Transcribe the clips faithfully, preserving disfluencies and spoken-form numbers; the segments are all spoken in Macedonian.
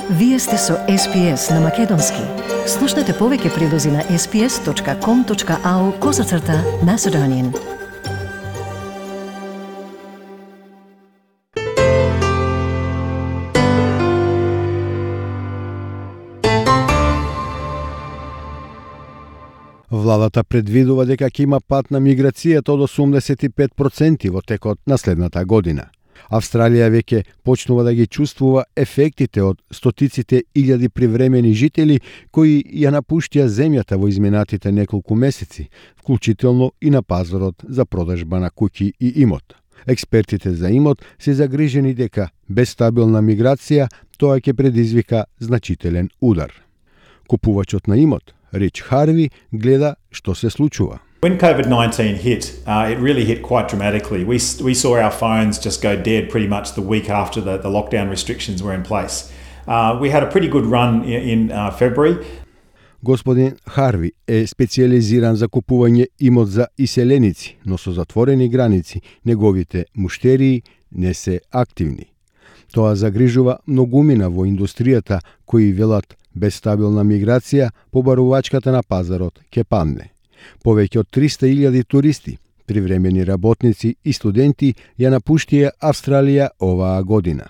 Вие сте со Ес Пи Ес на Македонски. Слушнете повеќе прилози на ес пи ес точка ком точка ау козацрта Macedonian. Владата предвидува дека ќе има пат на миграцијата од осумдесет и пет проценти во текот на следната година. Австралија веќе почнува да ги чувствува ефектите од стотиците илјади привремени жители кои ја напуштија земјата во изминатите неколку месеци, вклучително и на пазарот за продажба на куќи и имот. Експертите за имот се загрижени дека без стабилна миграција тоа ќе предизвика значителен удар. Купувачот на имот, Рич Харви, гледа што се случува. When COVID nineteen hit, uh, it really hit quite dramatically. We we saw our phones just go dead pretty much the week after the, the lockdown restrictions were in place. Uh, we had a pretty good run in, in uh, February. Господин Харви е специализиран за купување имот за иселеници, но со затворени граници неговите муштерии не се активни. Тоа загрижува многумина во индустријата кои велат без стабилна миграција побарувачката на пазарот ќе падне. Повеќе од триста илјади туристи, привремени работници и студенти ја напуштија Австралија оваа година.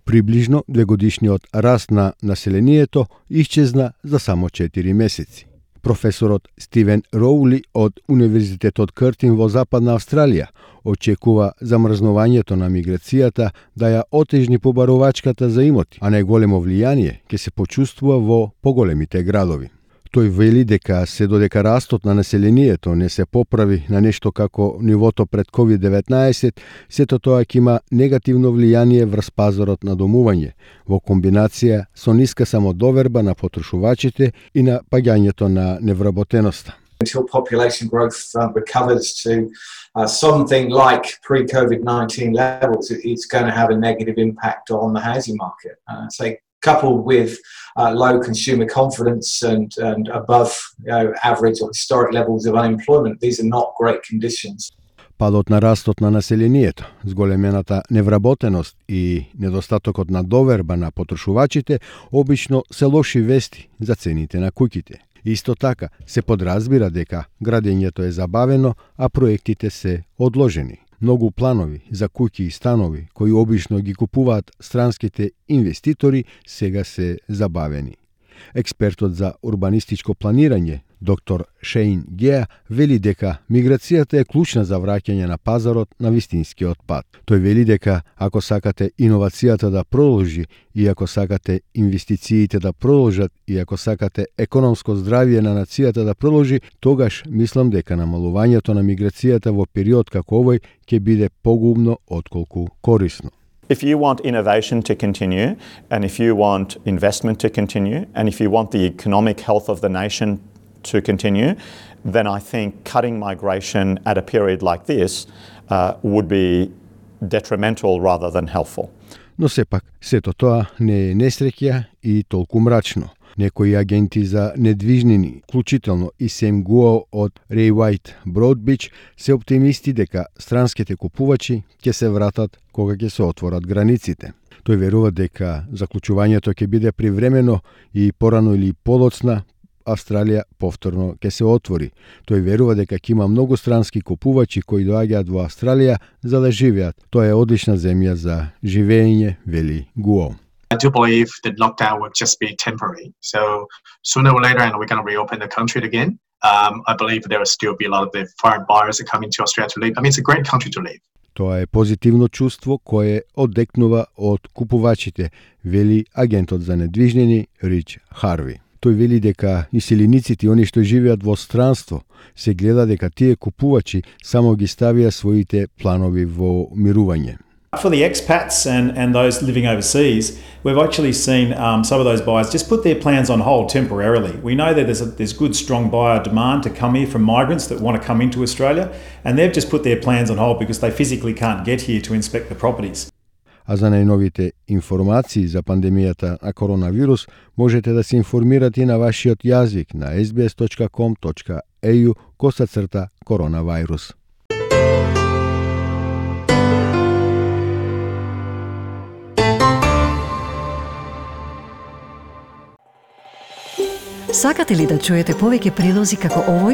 Приближно двегодишниот раст на населението исчезна за само четири месеци. Професорот Стивен Роули од Универзитетот Къртин во Западна Австралија очекува замрзнувањето на миграцијата да ја отежни побарувачката за имоти, а најголемо влијание ќе се почувствува во поголемите градови. Тој вели дека се додека растот на населението не се поправи на нешто како нивото пред ковид деветнаесет, сето тоа ќе има негативно влијание врз пазарот на домување, во комбинација со ниска самодоверба на потрошувачите и на паѓањето на невработеноста. Until population growth uh, recovers to uh, something like pre-COVID nineteen levels, it's going to have a negative impact on the housing market. Uh, so coupled with uh, low consumer confidence and, and above you know, average or historic levels of unemployment, these are not great conditions. Падот на растот на населението, зголемената невработеност и недостатокот на доверба на потрошувачите обично се лоши вести за цените на куќите. Исто така се подразбира дека градењето е забавено, а проектите се одложени. Многу планови за куќи и станови кои обично ги купуваат странските инвеститори сега се забавени. Експертот за урбанистичко планирање, доктор Шейн Геа, вели дека миграцијата е клучна за враќање на пазарот на вистинскиот пат. Тој вели дека ако сакате иновацијата да продолжи и ако сакате инвестициите да продолжат и ако сакате економско здравје на нацијата да продолжи, тогаш мислам дека намалувањето на миграцијата во период како овој ќе биде погубно отколку корисно. If you want innovation to continue, and if you want investment to continue, and if you want the economic health of the nation to continue, then I think cutting migration at a period like this uh, would be detrimental rather than helpful. Но сепак, сето тоа не е несреќа и толку мрачно. Некои агенти за недвижнини, вклучително и Сем Гуо од Рей Уајт Броудбич, се оптимисти дека странските купувачи ќе се вратат кога ќе се отворат границите. Тој верува дека заклучувањето ќе биде привремено и порано или подоцна Австралија повторно ќе се отвори. Тој верува дека ќе има многу странски купувачи кои доаѓаат во Австралија за да живеат. Тоа е одлична земја за живење, вели Гуо. I do believe that lockdown will just be temporary. So sooner or later, and we're going to reopen the country again. Um, I believe there will still be a lot of the foreign buyers that come into Australia to live. I mean, it's a great country to live. Тоа е позитивно чувство кое одекнува од купувачите, вели агентот за недвижнини Рич Харви. Тој вели дека иселениците и они што живеат во странство се гледа дека тие купувачи само ги ставија своите планови во мирување. For the expats and, and those living overseas, we've actually seen um, some of those buyers just put their plans on hold temporarily. We know that there's, a, there's good, strong buyer demand to come here from migrants that want to come into Australia, and they've just put their plans on hold because they physically can't get here to inspect the properties. А за најновите информации за пандемијата на коронавирус можете да се информирате и на вашиот јазик на ес би ес точка ком точка ей ю косацрта коронавирус. Сакате ли да чуете повеќе прилози како овој?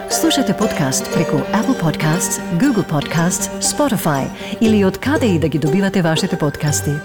Слушате подкаст преку Apple Podcasts, Google Podcasts, Spotify или од каде и да ги добивате вашите подкасти.